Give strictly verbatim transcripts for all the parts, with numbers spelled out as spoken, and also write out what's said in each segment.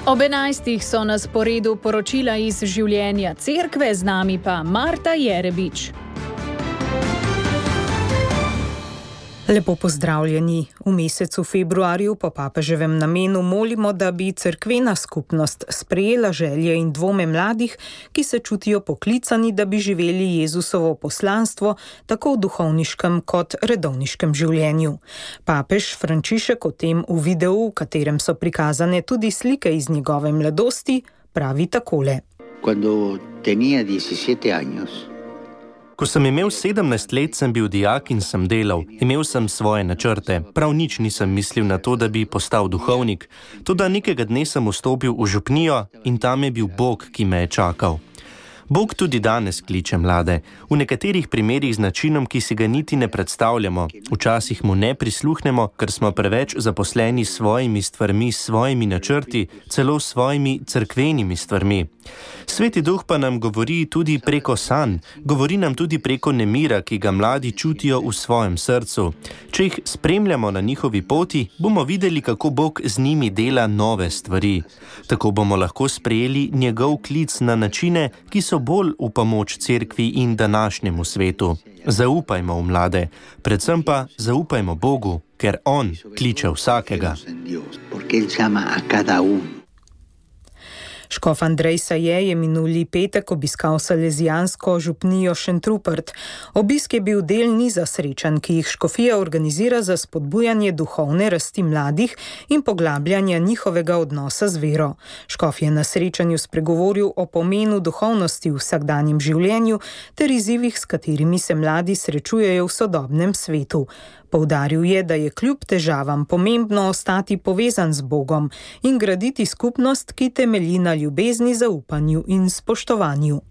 Ob enajstih so na sporedu poročila iz življenja cerkve, z nami pa Marta Jerebič. Lepo pozdravljeni. V mesecu februarju po papeževem namenu molimo, da bi cerkvena skupnost sprejela želje in dvome mladih, ki se čutijo poklicani, da bi živeli Jezusovo poslanstvo tako v duhovniškem kot redovniškem življenju. Papež Frančišek o tem v videu, v katerem so prikazane tudi slike iz njegove mladosti, pravi takole. Cuando tenía diecisiete años, Ko sem imel sedemnajst let, sem bil dijak in sem delal. Imel sem svoje načrte. Prav nič nisem mislil na to, da bi postal duhovnik. Toda nekega dne sem vstopil v župnijo in tam je bil Bog, ki me je čakal. Bog tudi danes kliče mlade, v nekaterih primerih z načinom, ki si ga niti ne predstavljamo. Včasih mu ne prisluhnemo, ker smo preveč zaposleni s svojimi stvarmi, s svojimi načrti, celo s svojimi cerkvenimi stvarmi. Sveti Duh pa nam govori tudi preko sanj, govori nam tudi preko nemira, ki ga mladi čutijo v svojem srcu. Če jih spremljamo na njihovi poti, bomo videli, kako Bog z njimi dela nove stvari. Tako bomo lahko sprejeli njegov klic na načine, ki so bolj v pomoč cerkvi in današnjemu svetu. Zaupajmo v mlade, predvsem pa zaupajmo Bogu, ker On kliče vsakega. Škof Andrej Saje je minuli petek obiskal salezijansko župnijo Šentrupert. Obisk je bil del niza srečanj, ki jih škofija organizira za spodbujanje duhovne rasti mladih in poglabljanja njihovega odnosa z vero. Škof je na srečanju spregovoril o pomenu duhovnosti v vsakdanjem življenju ter izzivih, s katerimi se mladi srečujejo v sodobnem svetu. Poudaril je, da je kljub težavam pomembno ostati povezan z Bogom in graditi skupnost, ki temelji na ljubezni, zaupanju in spoštovanju.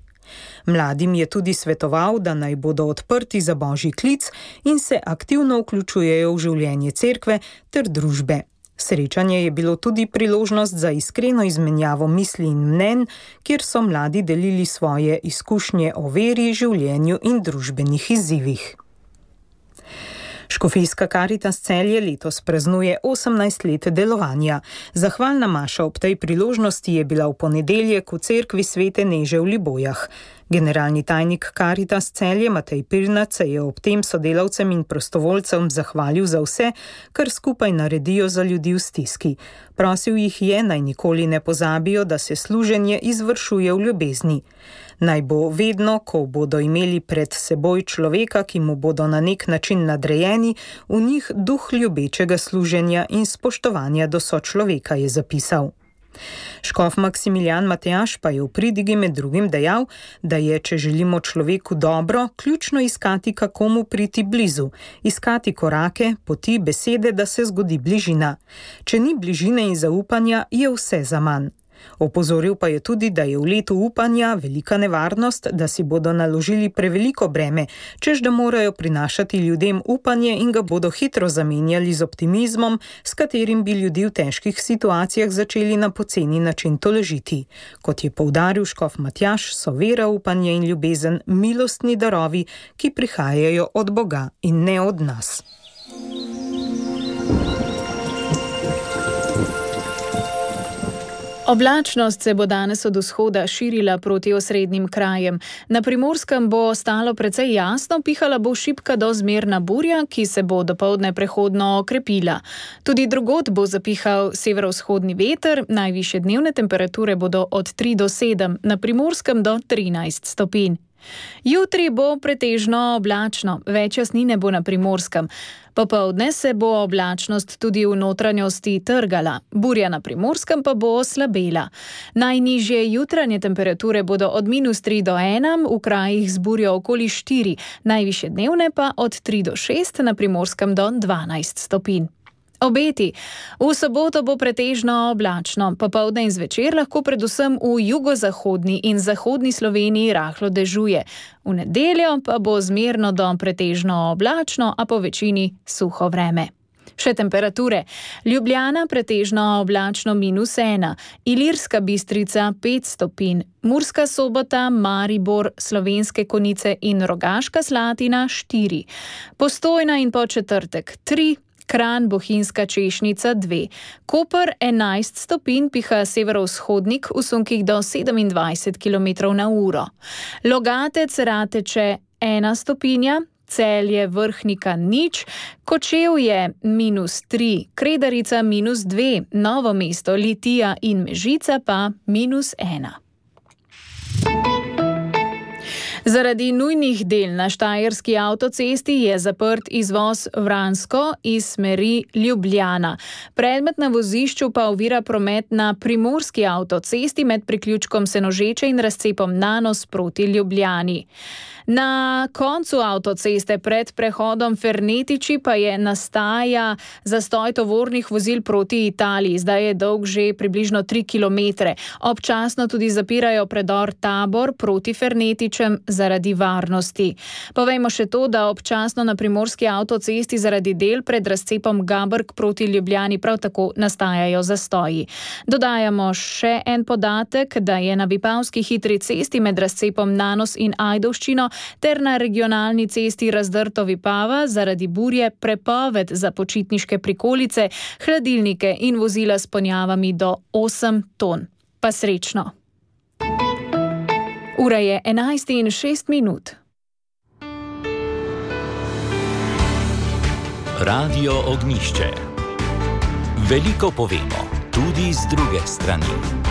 Mladim je tudi svetoval, da naj bodo odprti za Božji klic in se aktivno vključujejo v življenje cerkve ter družbe. Srečanje je bilo tudi priložnost za iskreno izmenjavo misli in mnenj, kjer so mladi delili svoje izkušnje o veri, življenju in družbenih izzivih. Škofijska Karitas Celje letos praznuje osemnajst let delovanja. Zahvalna maša ob tej priložnosti je bila v ponedeljek v cerkvi Svete Neže v Libojah. Generalni tajnik Karitas Celje Matej Pirnat se je ob tem sodelavcem in prostovoljcem zahvalil za vse, kar skupaj naredijo za ljudi v stiski. Prosil jih je, naj nikoli ne pozabijo, da se služenje izvršuje v ljubezni. Naj bo vedno, ko bodo imeli pred seboj človeka, ki mu bodo na nek način nadrejeni, v njih duh ljubečega služenja in spoštovanja do sočloveka, je zapisal. Škof Maksimilijan Matejaš pa je v pridigi med drugim dejal, da je, če želimo človeku dobro, ključno iskati, kako mu priti blizu, iskati korake, poti, besede, da se zgodi bližina. Če ni bližine in zaupanja, je vse zaman. Opozoril pa je tudi, da je v letu upanja velika nevarnost, da si bodo naložili preveliko breme, čež da morajo prinašati ljudem upanje in ga bodo hitro zamenjali z optimizmom, s katerim bi ljudi v težkih situacijah začeli na poceni način tolažiti. Kot je poudaril škof Matjaž, so vera, upanje in ljubezen milostni darovi, ki prihajajo od Boga in ne od nas. Oblačnost se bo danes od vzhoda širila proti osrednjim krajem. Na Primorskem bo ostalo precej jasno, pihala bo šibka do zmerna burja, ki se bo dopoldne prehodno okrepila. Tudi drugod bo zapihal severovzhodni veter, najvišje dnevne temperature bodo od tri do sedem, na Primorskem do trinajst stopinj. Jutri bo pretežno oblačno, več jasnine bo na Primorskem. Popoldne se bo oblačnost tudi v notranjosti trgala, burja na Primorskem pa bo oslabela. Najnižje jutranje temperature bodo od minus tri do ena, v krajih z burjo okoli štiri, najvišje dnevne pa od tri do šest, na Primorskem do dvanajst stopinj. Obeti. V soboto bo pretežno oblačno, popoldne in zvečer lahko predvsem v jugozahodni in zahodni Sloveniji rahlo dežuje. V nedeljo pa bo zmerno do pretežno oblačno, a po večini suho vreme. Še temperature. Ljubljana pretežno oblačno minus ena, Ilirska Bistrica pet stopinj, Murska Sobota, Maribor, Slovenske Konjice in Rogaška Slatina štiri, Postojna in Podčetrtek tri, Kranj, Bohinjska Češnica dve, Koper enajst stopinj, piha severovzhodnik v sunkih do sedemindvajset kilometrov na uro. Logatec, Rateče ena stopinja, Celje, Vrhnika nič, Kočevje minus tri, Kredarica minus dve, Novo mesto, Litija in Mežica pa minus ena. Zaradi nujnih del na Štajerski avtocesti je zaprt izvoz Vransko iz smeri Ljubljana. Predmet na vozišču pa ovira promet na Primorski avtocesti med priključkom Senožeče in razcepom Nanos proti Ljubljani. Na koncu avtoceste pred prehodom Fernetiči pa je nastaja zastoj tovornih vozil proti Italiji. Zdaj je dolg že približno tri kilometre. Občasno tudi zapirajo predor Tabor proti Fernetičem zaradi varnosti. Povejmo še to, da občasno na Primorski avtocesti zaradi del pred razcepom Gabrk proti Ljubljani prav tako nastajajo zastoji. Dodajamo še en podatek, da je na Vipavski hitri cesti med razcepom Nanos in Ajdovščino ter na regionalni cesti Razdrto-Vipava zaradi burje prepoved za počitniške prikolice, hladilnike in vozila s ponjavami do osem ton. Pa srečno! Ura je enajst in šest minut. Radio Ognjišče. Veliko povemo, tudi z druge strani.